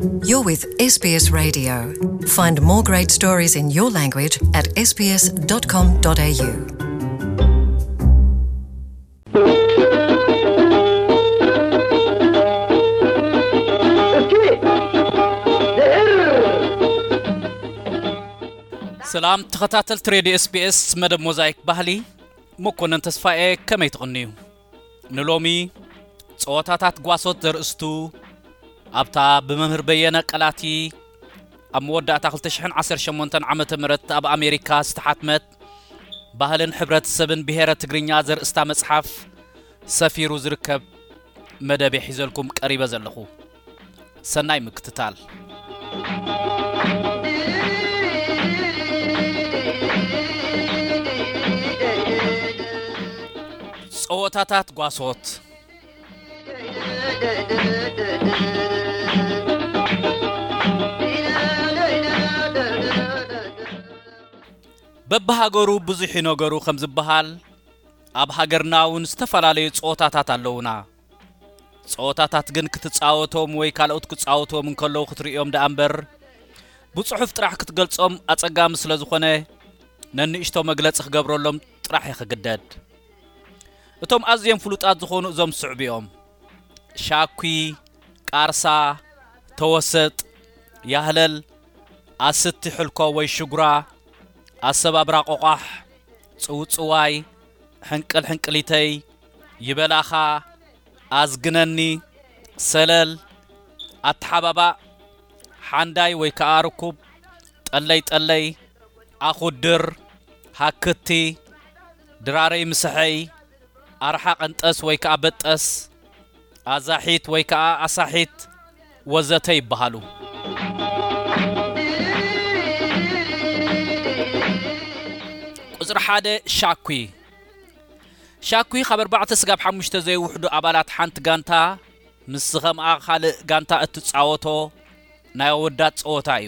You're with S B S Radio. Find more great stories in your language at S B S dot com dot A U. ሰላም ተኸታተልቲ ሬድዮ ኤስቢኤስ፣ መደብ ሞዛይክ ባህሊ፣ መኮነን ተስፋኤ፣ ከመይ ትቕንዩ? ንሎሚ ጸወታታት ጓሶት ዘርእስቱ ኣብታ ብመምህር በየነ ቀላቲ ኣብ መወዳእታ ክልተ ሽሕን ዓሰርተ ሸሞንተን ዓመተ ምህረት ኣብ ኣሜሪካ ዝተሓትመት ባህልን ሕብረተሰብን ብሄረ ትግርኛ ዘርእስታ መጽሓፍ ሰፊሩ ዝርከብ መደብ ሒዘልኩም ቀሪበ ዘለኹ። ሰናይ ምክትታል። ጸወታታት ጓሶት። በብሃገሩ ብዙሕ እዩ ነገሩ ከም ዝበሃል፣ ኣብ ሃገርና እውን ዝተፈላለዩ ጸወታታት ኣለዉና። ጸወታታት ግን ክትጻወቶም ወይ ካልኦት ክጻወትዎም እንከለዉ ክትርእዮም ደኣ እምበር፣ ብጽሑፍ ጥራሕ ክትገልጾም ኣጸጋሚ ስለ ዝኾነ፣ ነንእሽቶ መግለጺ ክገብረሎም ጥራሕ እየ ክግደድ። እቶም ኣዝዮም ፍሉጣት ዝኾኑ እዞም ዝስዕቡ እዮም። ሻኲ፣ ቃርሳ፣ ተወሰጥ፣ ያህለል፣ ኣስቲ ሕልኮ ወይ ሽጉራ፣ ኣሰባብራ ቆቋሕ፣ ጽውጽዋይ፣ ሕንቅል ሕንቅሊተይ፣ ይበላኻ፣ ኣዝግነኒ፣ ሰለል፣ ኣተሓባባእ፣ ሓንዳይ ወይ ከኣ ርኩብ፣ ጠለይ ጠለይ፣ ኣኹድር፣ ሃክቲ፣ ድራረይ ምስሐይ፣ ኣርሓ ቀንጠስ ወይ ከኣ በጠስ፣ ኣዛሒት ወይ ከኣ ኣሳሒት ወዘተ ይበሃሉ። ቁጽሪ ሓደ፣ ሻኲ። ሻኲ ካብ ኣርባዕተ ስጋብ ሓሙሽተ ዘይውሕዱ ኣባላት ሓንቲ ጋንታ ምስ ዝኸምኣ ካልእ ጋንታ እትጻወቶ ናይ ኣወዳት ጸወታ እዩ።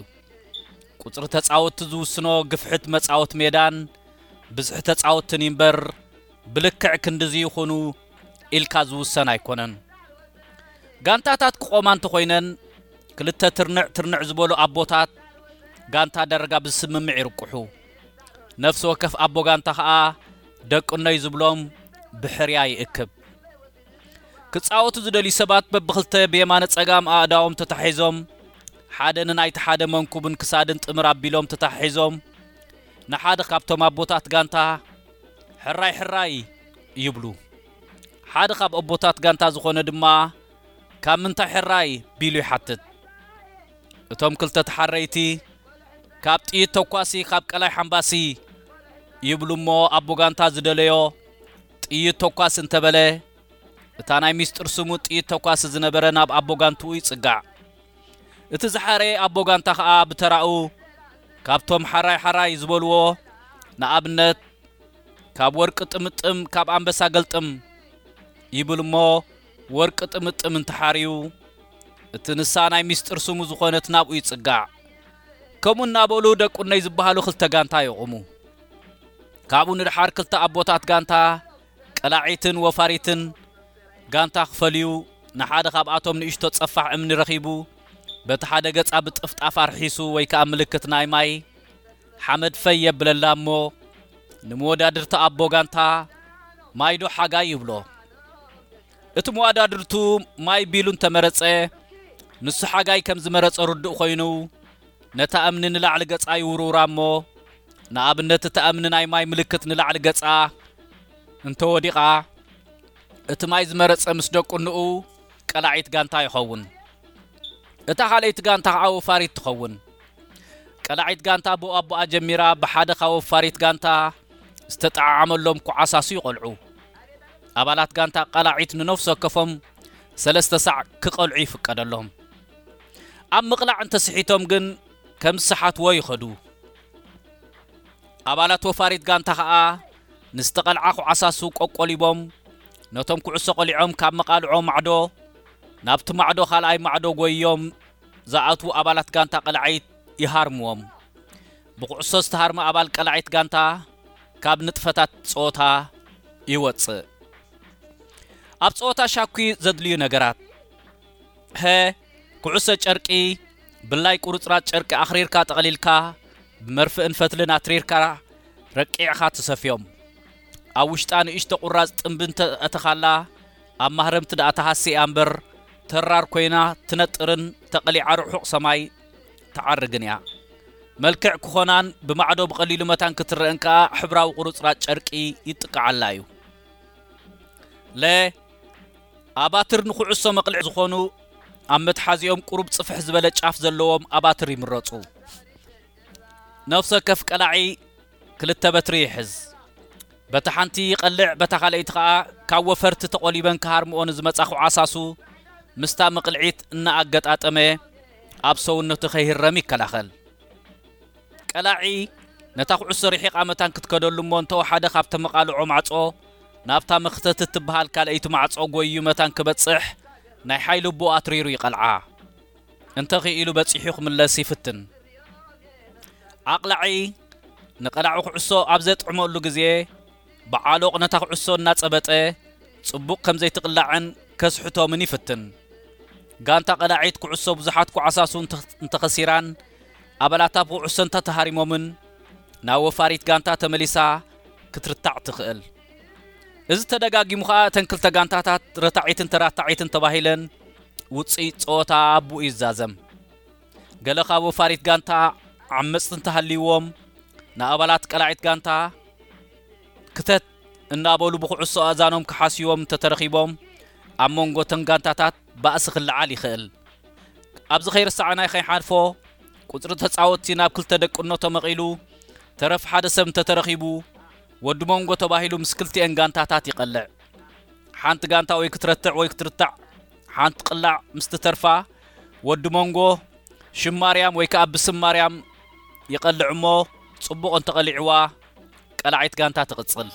ቁጽሪ ተጻወትቲ ዝውስኖ ግፍሕት መጻወቲ ሜዳን ብዝሒ ተጻወትትን እዩ እምበር፣ ብልክዕ ክንድዚ ይኹኑ ኢልካ ዝውሰን ኣይኮነን። ጋንታታት ክቖማ እንተኾይነን፣ ክልተ ትርንዕ ትርንዕ ዝበሉ ኣቦታት ጋንታ ዳርጋ ብስምምዕ ይርቁሑ። ነፍሲ ወከፍ ኣቦ ጋንታ ኸኣ ደቅኖይ ዝብሎም ብሕርያ ይእክብ። ክጻወቱ ዝደልዩ ሰባት በብኽልተ ብየማነ ጸጋም ኣእዳዎም ተታሒዞም፣ ሓደ ንናይቲ ሓደ መንኩብን ክሳድን ጥምር ኣቢሎም ተታሒዞም፣ ንሓደ ካብቶም ኣቦታት ጋንታ፣ "ሕራይ፣ ሕራይ!" ይብሉ። ሓደ ካብ ኣቦታት ጋንታ ዝኾነ ድማ፣ "ካብ ምንታይ ሕራይ?" ቢሉ ይሓትት። እቶም ክልተ ተሓረይቲ፣ "ካብ ጥይት ተኳሲ፣ ካብ ቀላይ ሓምባሲ" ይብሉ እሞ፣ ኣቦ ጋንታ ዝደለዮ ጥይት ተኳሲ እንተበለ፣ እታ ናይ ሚስጥር ስሙ ጥይት ተኳሲ ዝነበረ ናብ ኣቦ ጋንትኡ ይጽጋዕ። እቲ ዝሓረየ ኣቦ ጋንታ ኸኣ ብተራኡ ካብቶም ሓራይ ሓራይ ዝበልዎ፣ ንኣብነት፣ "ካብ ወርቂ ጥምጥም፣ ካብ ኣንበሳ ገልጥም" ይብል እሞ፣ ወርቂ ጥምጥም እንተሓርዩ፣ እቲ ንሳ ናይ ሚስጥር ስሙ ዝኾነት ናብኡ ይጽጋዕ። ከምኡ እናበሉ ደቁነይ ዝበሃሉ ክልተ ጋንታ የቑሙ። ካብኡ ንደሓር ክልተ ኣቦታት ጋንታ፣ ቀላዒትን ወፋሪትን፣ ጋንታ ክፈልዩ፣ ንሓደ ካብኣቶም ንእሽቶ ጸፋሕ እምኒ ረኺቡ፣ በቲ ሓደ ገጻ ብጥፍጣፍ ኣርሒሱ ወይ ከኣ ምልክት ናይ ማይ፣ ሓመድ ፈይ የብለላ እሞ፣ ንመወዳድርቲ ኣቦ ጋንታ፣ "ማይ ዶ ሓጋይ?" ይብሎ። እቲ መወዳድርቱ ማይ ቢሉ እንተመረጸ፣ ንሱ ሓጋይ ከም ዝመረጸ ርዱእ ኮይኑ፣ ነታ እምኒ ንላዕሊ ገጻ ይውርውራ እሞ፣ ንኣብነት እታ እምኒ ናይ ማይ ምልክት ንላዕሊ ገጻ እንተወዲቓ፣ እቲ ማይ ዝመረጸ ምስ ደቁንኡ ቀላዒት ጋንታ ይኸውን። እታ ካልኣይቲ ጋንታ ኸኣ ወፋሪት ትኸውን። ቀላዒት ጋንታ ብኡ ኣቦኣ ጀሚራ ብሓደ ካብ ወፋሪት ጋንታ ዝተጠዓዓመሎም ኩዓሳሱ ይቐልዑ። ኣባላት ጋንታ ቀላዒት ንነፍሲ ወከፎም ሰለስተ ሳዕ ክቐልዑ ይፍቀደሎም። ኣብ ምቕላዕ እንተስሒቶም ግን ከም ዝሰሓትዎ ይኸዱ። ኣባላት ወፋሪት ጋንታ ኸኣ ንዝተቐልዓ ኩዓሳሱ ቆቆሊቦም ነቶም ኩዕሶ ቀሊዖም ካብ መቓልዖ ማዕዶ ናብቲ ማዕዶ ካልኣይ ማዕዶ ጎይዮም ዝኣትዉ ኣባላት ጋንታ ቀላዒት ይሃርምዎም። ብኩዕሶ ዝተሃርመ ኣባል ቀላዒት ጋንታ ካብ ንጥፈታት ጸወታ ይወጽእ። ኣብ ጸወታ ሻኩ ዘድልዩ ነገራት። ሀ፣ ኩዕሶ ጨርቂ፣ ብላይ ቁርጽራጽ ጨርቂ ኣኽሪርካ ጠቕሊልካ፣ ብመርፍእን ፈትልን ኣትሪርካ ረቂዕኻ ትሰፍዮም። ኣብ ውሽጣ ንእሽቶ ቁራጽ ጥንቢ እንተ ኣእተኻላ፣ ኣብ ማህረምቲ ደኣ ትሃሲ እያ እምበር፣ ተራር ኮይና ትነጥርን ተቐሊዓ ርሑቕ ሰማይ ትዓርግን እያ። መልክዕ ክኾናን ብማዕዶ ብቐሊሉ መታን ክትረአን ከኣ ሕብራዊ ቁርጽራጽ ጨርቂ ይጥቅዓላ እዩ። ለ፣ ኣባትር ንኹዕሶ መቕልዒ ዝኾኑ ኣብ መትሓዚኦም ቁሩብ ጽፍሕ ዝበለ ጫፍ ዘለዎም ኣባትር ይምረጹ። ነፍሲ ወከፍ ቀላዒ ክልተ በትሪ ይሕዝ። በታ ሓንቲ ይቐልዕ፣ በታ ካልኣይቲ ኸኣ ካብ ወፈርቲ ተቖሊበን ክሃርምኦ ንዝመጻ ኩዓሳሱ ምስታ መቕልዒት እናኣገጣጠመ ኣብ ሰውነቱ ከይህረም ይከላኸል። ቀላዒ ነታ ኩዕሶ ርሒቓ መታን ክትከደሉ እሞ እንተወሓደ ካብ ተመቓልዖ ማዕጾ ናብታ መኽተት እትበሃል ካልኣይቲ ማዕጾ ጎይዩ መታን ክበጽሕ ናይ ሓይሊ ኣቦኡ ኣትሪሩ ይቐልዓ። እንተ ኽኢሉ በጺሑ ክምለስ ይፍትን። ኣቕላዒ ንቐላዒ ኩዕሶ ኣብ ዘጥዕመሉ ግዜ ብዓሎቕ ነታ ኩዕሶ እናጸበጠ ጽቡቕ ከም ዘይትቕላዕን ከስሕቶምን ይፍትን። ጋንታ ቀላዒት ኩዕሶ ብዙሓት ኩዓሳሱ እንተ-፣ እንተኸሲራን ኣባላታ ብኩዕሶ እንተተሃሪሞምን ናብ ወፋሪት ጋንታ ተመሊሳ ክትርታዕ ትኽእል። እዚ ተደጋጊሙ ኸኣ እተን ክልተ ጋንታታት ረታዒትን ተራታዒትን ተባሂለን ውጽኢት ጸወታ ኣብኡ ይዛዘም። ገለ ካብ ወፋሪት ጋንታ ዓመጽቲ እንተሃልይዎም ንኣባላት ቀላዒት ጋንታ ክተት እናበሉ ብኩዕሶ ኣእዛኖም ክሓስይዎም እንተተረኺቦም ኣብ መንጎ እተን ጋንታታት ባእሲ ክለዓል ይኽእል። ኣብዚ ከይርሳዕና ከይሓልፎ ቁጽሪ ተጻወትቲ ናብ ክልተ ደቂ ኣኖ ተመቒሉ ተረፍ ሓደ ሰብ እንተተረኺቡ ወዲ መንጎ ተባሂሉ ምስ ክልቲኤን ጋንታታት ይቐልዕ። ሓንቲ ጋንታ ወይ ክትረትዕ ወይ ክትርታዕ ሓንቲ ቅላዕ ምስ ትተርፋ ወዲ መንጎ ሽም ማርያም ወይ ከኣ ብስም ማርያም ይቐልዕ እሞ ጽቡቕ እንተቐሊዕዋ ቀላዒት ጋንታ ትቕጽል።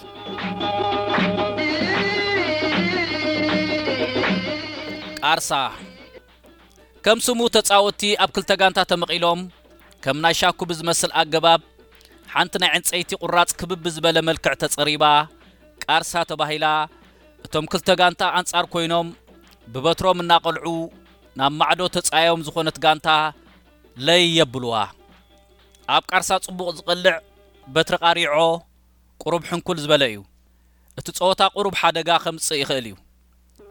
ቃርሳ ከም ስሙ ተጻወትቲ ኣብ ክልተ ጋንታ ተመቒሎም ከም ናይ ሻኩ ብዝመስል ኣገባብ ሓንቲ ናይ ዕንጸይቲ ቁራጽ ክብብ ዝበለ መልክዕ ተጸሪባ ቃርሳ ተባሂላ። እቶም ክልተ ጋንታ ኣንጻር ኮይኖም ብበትሮም እናቐልዑ ናብ ማዕዶ ተጻዮም ዝኾነት ጋንታ ለይ የብልዋ። ኣብ ቃርሳ ጽቡቕ ዝቐልዕ በትሪ ቃሪዖ ቁሩብ ሕንኩል ዝበለ እዩ። እቲ ጸወታ ቁሩብ ሓደጋ ከምጽእ ይኽእል እዩ።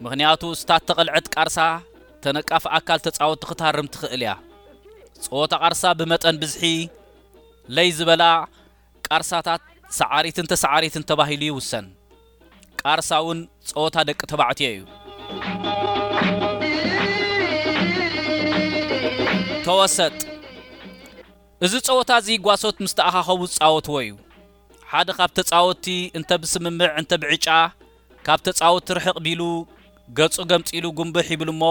ምኽንያቱ እታ እተቐልዐት ቃርሳ ተነቃፊ ኣካል ተጻወትቲ ክትሃርም ትኽእል እያ። ጸወታ ቃርሳ ብመጠን ብዝሒ ለይ ዝበላ ቃርሳታት ሰዓሪትን ተሰዓሪትን ተባሂሉ ይውሰን። ቃርሳ እውን ጸወታ ደቂ ተባዕትዮ እዩ። ተወሰጥ። እዚ ጸወታ እዚ ጓሶት ምስ ተኣኻኸቡ ዝጻወትዎ እዩ። ሓደ ካብ ተጻወትቲ እንተ ብስምምዕ እንተ ብዕጫ ካብ ተጻወትቲ ርሕቕ ቢሉ ገጹ ገምጢሉ ጉንብሕ ይብል እሞ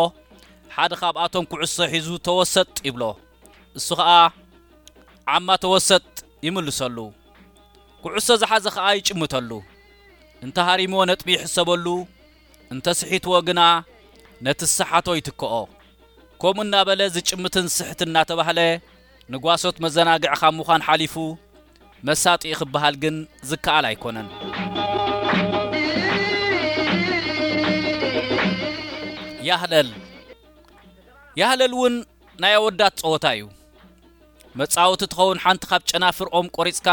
ሓደ ካብኣቶም ኩዕሶ ሒዙ ተወሰጥ ይብሎ። እሱ ኸኣ ዓማ ተወሰጥ ይምልሰሉ። ኩዕሶ ዝሓዘ ኸኣ ይጭምተሉ። እንተ ሃሪምዎ ነጥቢ ይሕሰበሉ፣ እንተ ስሒትዎ ግና ነቲ ዝሰሓቶ ይትክኦ። ከምኡ እናበለ ዝጭምትን ዝስሕትን እናተባህለ ንጓሶት መዘናግዒ ካብ ምዃን ሓሊፉ መሳጢ ክበሃል ግን ዝከኣል ኣይኮነን። ያህለል። ያህለል እውን ናይ ኣወዳት ጸወታ እዩ። መጻወቲ ትኸውን ሓንቲ ካብ ጨናፍር ኦም ቆሪጽካ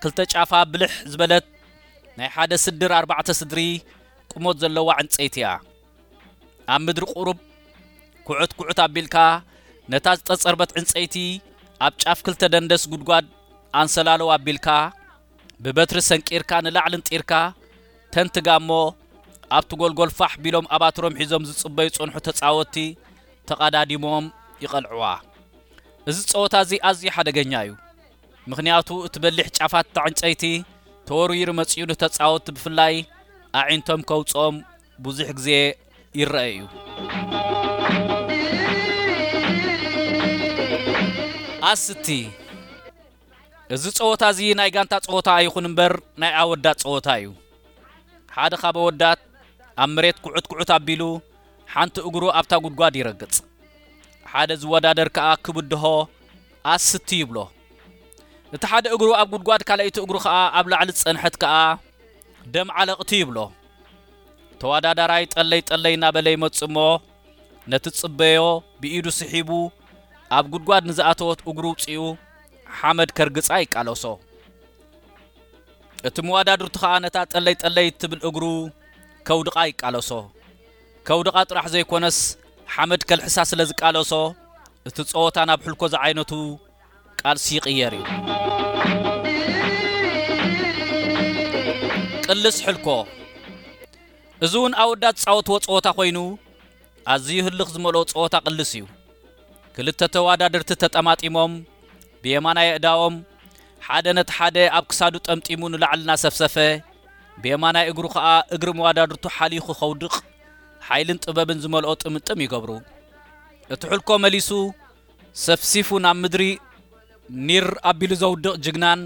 ክልተ ጫፋ ብልሕ ዝበለት ናይ ሓደ ስድር ኣርባዕተ ስድሪ ቁመት ዘለዋ ዕንጸይቲ እያ። ኣብ ምድሪ ቁሩብ ኩዕት ኩዕት ኣቢልካ ነታ ዝጠጸርበት ዕንጸይቲ ኣብ ጫፍ ክልተ ደንደስ ጉድጓድ ኣንሰላለው ኣቢልካ ብበትሪ ሰንቂርካ ንላዕሊ እንጢርካ ተንትጋ እሞ ኣብቲ ጎልጎል ፋሕ ቢሎም ኣባትሮም ሒዞም ዝጽበዩ ዝጸንሑ ተጻወትቲ ተቐዳዲሞም ይቐልዕዋ። እዚ ጸወታ እዚ ኣዝዩ ሓደገኛ እዩ። ምኽንያቱ እቲ በሊሕ ጫፋት እታ ዕንጸይቲ ተወርዊሩ መጺኡ ንተጻወትቲ ብፍላይ ኣዒንቶም ከውጽኦም ብዙሕ ግዜ ይረአ እዩ። ኣስቲ። እዚ ጸወታ እዚ ናይ ጋንታ ጸወታ ኣይኹን እምበር ናይ ኣወዳት ጸወታ እዩ። ሓደ ካብ ኣወዳት ኣብ መሬት ኩዕት ኩዕት ኣቢሉ ሓንቲ እግሩ ኣብታ ጉድጓድ ይረግጽ። ሓደ ዝወዳደር ከኣ ክብድሆ ኣስቲ ይብሎ። እቲ ሓደ እግሩ ኣብ ጉድጓድ ካልኣይቲ እግሩ ከኣ ኣብ ላዕሊ ዝጸንሐት ከኣ ደም ዓለቕቲ ይብሎ። ተወዳዳራይ ጠለይ ጠለይ እናበለ ይመጽእ እሞ ነቲ ጽበዮ ብኢዱ ስሒቡ ኣብ ጉድጓድ ንዝኣተወት እግሩ ውጺኡ ሓመድ ከርግጻ ይቃለሶ። እቲ መዋዳድርቱ ኸኣ ነታ ጠለይ ጠለይ እትብል እግሩ ከውድቓ ይቃለሶ። ከውድቓ ጥራሕ ዘይኮነስ ሓመድ ከልሕሳ ስለ ዝቃለሶ እቲ ጸወታ ናብ ሕልኮ ዝዓይነቱ ቃልሲ ይቕየር እዩ። ቅልስ ሕልኮ። እዚ እውን ኣወዳት ዝጻወትዎ ጸወታ ኮይኑ ኣዝዩ ህልኽ ዝመልኦ ጸወታ ቅልስ እዩ። ክልተ ተወዳደርቲ ተጠማጢሞም ብየማናይ ኣእዳዎም ሓደ ነቲ ሓደ ኣብ ክሳዱ ጠምጢሙ ንላዕሊ እናሰፍሰፈ ብየማናይ እግሩ ኸኣ እግሪ መዋዳድርቱ ሓሊኹ ከውድቕ ሓይልን ጥበብን ዝመልኦ ጥምጥም ይገብሩ። እቲ ሕልኮ መሊሱ ሰፍሲፉ ናብ ምድሪ ኒር ኣቢሉ ዘውድቕ ጅግናን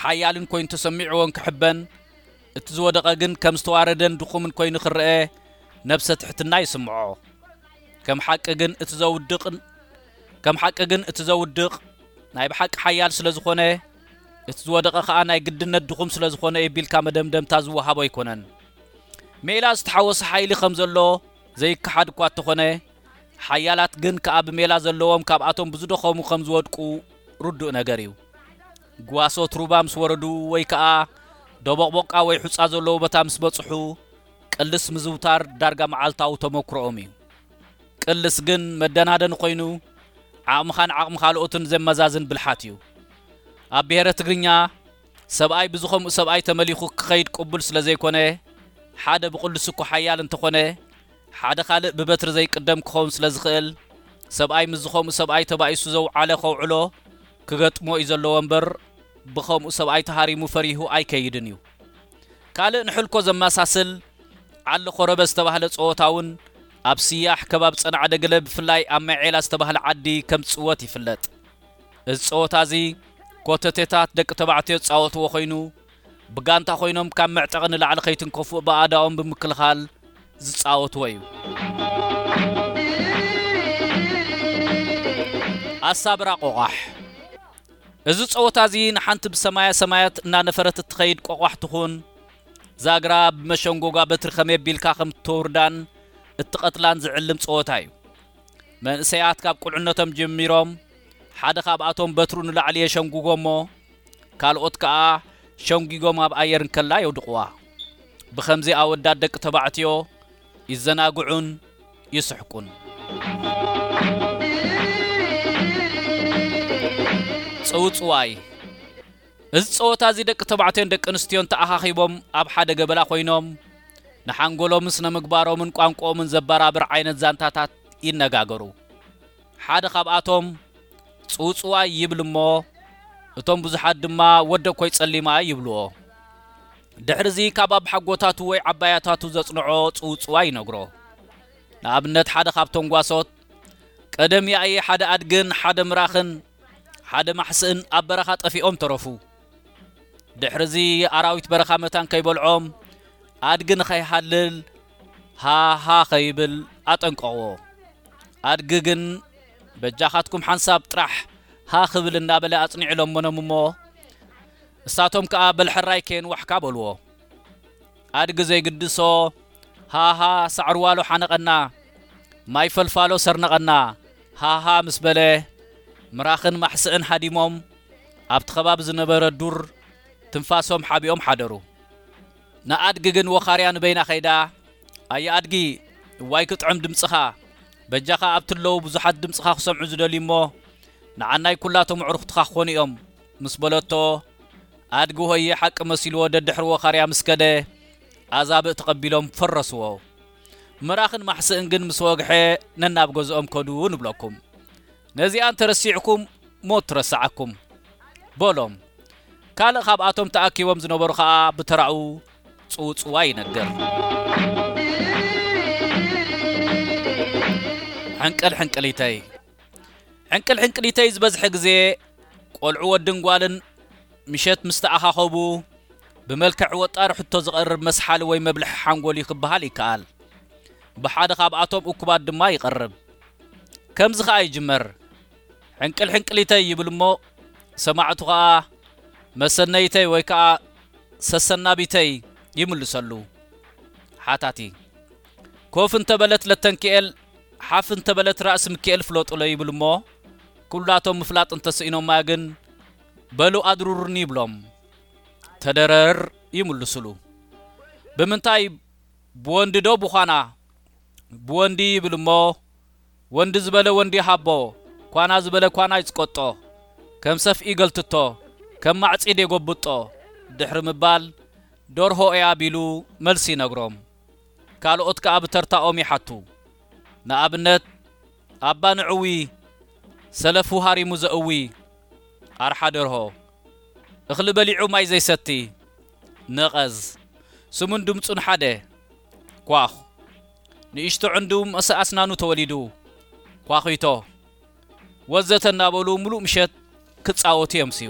ሓያልን ኮይኑ ተሰሚዕዎን ክሕበን፣ እቲ ዝወደቐ ግን ከም ዝተዋረደን ድኹምን ኮይኑ ክረአ ነብሰ ትሕትና ይስምዖ። ከም ሓቂ ግን እቲ ዘውድቕን ከም ሓቂ ግን እቲ ዘውድቕ ናይ ብሓቂ ሓያል ስለ ዝኾነ፣ እቲ ዝወደቐ ኸኣ ናይ ግድነት ድኹም ስለ ዝኾነ እዩ ቢልካ መደምደምታ ዝወሃቦ ኣይኮነን። ሜላ ዝተሓወሰ ሓይሊ ከም ዘሎ ዘይከሓድ እኳ እንተኾነ፣ ሓያላት ግን ከኣ ብሜላ ዘለዎም ካብኣቶም ብዝደኸሙ ከም ዝወድቁ ርዱእ ነገር እዩ። ጓሶት ሩባ ምስ ወረዱ ወይ ከኣ ደቦቕቦቃ ወይ ሑጻ ዘለዎ ቦታ ምስ በጽሑ፣ ቅልስ ምዝውታር ዳርጋ መዓልታዊ ተመኩሮኦም እዩ። ቅልስ ግን መደናደኒ ኮይኑ፣ ዓቕምኻን ዓቕሚ ካልኦትን ዘመዛዝን ብልሓት እዩ። ኣብ ብሄረ ትግርኛ፣ ሰብኣይ ብዝኸምኡ ሰብኣይ ተመሊኹ ክኸይድ ቅቡል ስለ ዘይኮነ፣ ሓደ ብቕልስ እኮ ሓያል እንተኾነ፣ ሓደ ካልእ ብበትሪ ዘይቅደም ክኸውን ስለ ዝኽእል፣ ሰብኣይ ምስ ዝኸምኡ ሰብኣይ ተባኢሱ ዘውዓለ ከውዕሎ ክገጥሞ እዩ ዘለዎ እምበር፣ ብኸምኡ ሰብኣይ ተሃሪሙ ፈሪሁ ኣይከይድን እዩ። ካልእ ንሕልኮ ዘመሳስል ዓሊ ኾረበ ዝተባህለ ጸወታ እውን ኣብ ስያሕ ከባቢ ጸናዕደ ገለ ብፍላይ ኣብ መዔላ ዝተባህለ ዓዲ ከም ዝጽወት ይፍለጥ። እዚ ጸወታ እዚ ኮተቴታት ደቂ ተባዕትዮ ዝጻወትዎ ኮይኑ፣ ብጋንታ ኮይኖም ካብ መዕጠቒ ንላዕሊ ከይትንከፉ ብኣእዳዎም ብምክልኻል ዝጻወትዎ እዩ። ኣሳብራ ቆቋሕ። እዚ ጸወታ እዚ ንሓንቲ ብሰማያ ሰማያት እናነፈረት እትኸይድ ቆቋሕ ትኹን፣ ዛግራ ብመሸንጎጓ በትሪ ከመይ ኣቢልካ ከም እተውርዳን እትቐትላን ዝዕልም ጸወታ እዩ። መንእሰያት ካብ ቁልዕነቶም ጀሚሮም ሓደ ካብኣቶም በትሩ ንላዕሊ የሸንጉጎ እሞ፣ ካልኦት ከኣ ሸንጒጎም ኣብ ኣየር እንከላ የውድቕዋ። ብኸምዚ ኣወዳት ደቂ ተባዕትዮ ይዘናግዑን ይስሕቁን። ጽውጽዋይ። እዚ ጸወታ እዚ ደቂ ተባዕትዮን ደቂ ኣንስትዮን ተኣኻኺቦም ኣብ ሓደ ገበላ ኮይኖም ንሓንጎሎምን ስነ ምግባሮምን ቋንቋኦምን ዘበራብር ዓይነት ዛንታታት ይነጋገሩ። ሓደ ካብኣቶም ጽውጽዋይ ይብል እሞ፣ እቶም ብዙሓት ድማ ወደ ኮይ ጸሊማ ይብልዎ። ድሕርዚ ካብ ኣባሓጎታቱ ወይ ዓባያታቱ ዘጽንዖ ጽውጽዋይ ይነግሮ። ንኣብነት ሓደ ካብቶም ጓሶት፣ ቀደም ያእየ ሓደ ኣድግን ሓደ ምራኽን ሓደ ማሕስእን ኣብ በረኻ ጠፊኦም ተረፉ። ድሕርዚ ኣራዊት በረኻ መታን ከይበልዖም ኣድጊ ንኸይሃልል ሃሃ ከይብል ኣጠንቀቕዎ። ኣድጊ ግን በጃኻትኩም ሓንሳብ ጥራሕ ሃ ክብል እናበለ ኣጽኒዑ ለመኖም እሞ፣ እሳቶም ከኣ በል ሕራይ ከየንዋሕካ በልዎ። ኣድጊ ዘይግድሶ ሃሃ ሳዕሪ ዋሎ ሓነቐና፣ ማይ ፈልፋሎ ሰርነቐና ሃሃ ምስ በለ፣ ምራኽን ማሕስእን ሃዲሞም ኣብቲ ከባቢ ዝነበረ ዱር ትንፋሶም ሓቢኦም ሓደሩ። ንኣድጊ ግን ወኻርያ ንበይና ከይዳ፣ ኣየ ኣድጊ፣ እዋይ ክጥዕም ድምጽኻ፣ በጃኻ ኣብቲ ኣለዉ ብዙሓት ድምጽኻ ክሰምዑ ዝደልዩ እሞ፣ ንዓናይ ኩላቶም ኣዕሩኽትኻ ክኾኑ እዮም ምስ በለቶ፣ ኣድጊ ሆየ ሓቂ መሲልዎ ደድሕሪ ወኻርያ ምስ ከደ፣ ኣዛብእ ተቐቢሎም ፈረስዎ። ምራኽን ማሕስእን ግን ምስ ወግሐ ነናብ ገዝኦም ከዱ ንብለኩም። ነዚኣ እንተረሲዕኩም ሞት ትረስዓኩም በሎም። ካልእ ካብኣቶም ተኣኪቦም ዝነበሩ ኸኣ ብተራኡ ጽውጽዋይ ይነግር። ሕንቅል ሕንቅሊተይ። ሕንቅል ሕንቅሊተይ ዝበዝሐ ግዜ ቆልዑ ወድን ጓልን ምሸት ምስ ተኣኻኸቡ ብመልክዕ ወጣሪ ሕቶ ዝቐርብ መስሓሊ ወይ መብልሒ ሓንጎል እዩ ክበሃል ይከኣል። ብሓደ ካብኣቶም እኩባት ድማ ይቐርብ። ከምዚ ኸኣ ይጅመር። ሕንቅል ሕንቅሊተይ ይብል እሞ ሰማዕቱ ኸኣ መሰነይተይ ወይ ከኣ ሰሰናቢተይ ይምልሰሉ። ሓታቲ ኮፍ እንተበለት ለተንኪኤል ሓፍ እንተበለት ራእሲ ምክኤል ፍለጡለይ ይብል እሞ፣ ኩላቶም ምፍላጥ እንተስኢኖማ ግን፣ በሉ ኣድሩርኒ ይብሎም። ተደረር ይምልስሉ። ብምንታይ? ብወንዲ ዶ ብዃና? ብወንዲ ይብል እሞ፣ ወንዲ ዝበለ ወንዲ ይሃቦ፣ ኳና ዝበለ ኳና ይጽቀጦ። ከም ሰፍኢ ይገልትቶ፣ ከም ማዕጺድ የጎብጦ። ድሕሪ ምባል፣ ደርሆ እያ ቢሉ መልሲ ይነግሮም። ካልኦት ከኣ ብተርታኦም ይሓቱ። ንኣብነት፣ ኣባ ንዕዊ፣ ሰለፉ ሃሪሙ ዘእዊ፣ ኣርሓ ደርሆ፣ እኽሊ በሊዑ ማይ ዘይሰቲ፣ ነቐዝ፣ ስሙን ድምጹን ሓደ፣ ኳኹ፣ ንእሽቶ ዕንዱ ምስ ኣስናኑ ተወሊዱ፣ ኳኺቶ፣ ወዘተ እናበሉ ምሉእ ምሸት ክጻወቱ የምስዩ።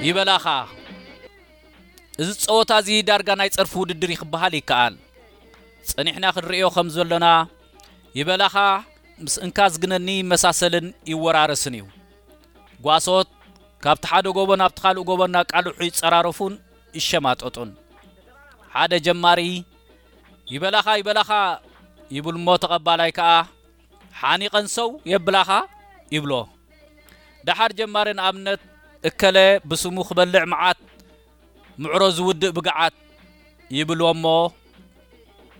ይበላኻ። እዚ ጸወታ እዚ ዳርጋ ናይ ጸርፊ ውድድር እዩ ክበሃል ይከኣል። ጸኒሕና ክንርእዮ ከም ዘሎና፣ ይበላኻ ምስ እንካ ዝግነኒ ይመሳሰልን ይወራረስን እዩ። ጓሶት ካብቲ ሓደ ጎቦ ናብቲ ካልእ ጎቦ እናቃልሑ ይጸራረፉን ይሸማጠጡን። ሓደ ጀማሪ፣ "ይበላኻ፣ ይበላኻ" ይብል እሞ፣ ተቐባላይ ከኣ፣ "ሓኒቐን ሰው የብላኻ" ይብሎ። ደሓር ጀማሪ፣ ንኣብነት፣ "እከለ ብስሙ ክበልዕ መዓት፣ ምዕሮ ዝውድእ ብግዓት" ይብልዎ እሞ፣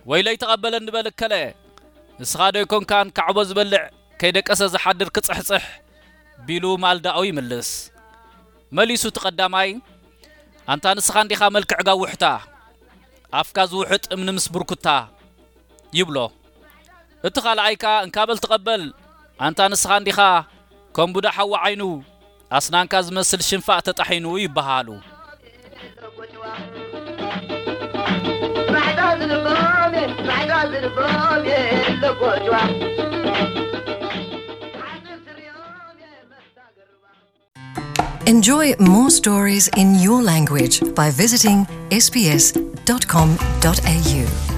"ወይለይ ተቐበለኒ በል እከለ፣ ንስኻ ዶ ኣይኮንካን ካዕቦ ዝበልዕ ከይደቀሰ ዝሓድር ክጽሕጽሕ?" ቢሉ ማልዳኡ ይምልስ። መሊሱ እቲ ቀዳማይ፣ "ኣንታ ንስኻ እንዲኻ መልክዕ ጋውሕታ፣ ኣፍካ ዝውሕጥ እምኒ ምስ ብርኩታ" ይብሎ። እቲ ካልኣይ ከኣ፣ "እንካ በል ተቐበል፣ ኣንታ ንስኻ እንዲኻ ከም ቡዳ ሓዊ ዓይኑ፣ ኣስናንካ ዝመስል ሽንፋእ ተጣሒኑ" ይበሃሉ። Enjoy more stories in your language by visiting S B S dot com dot A U.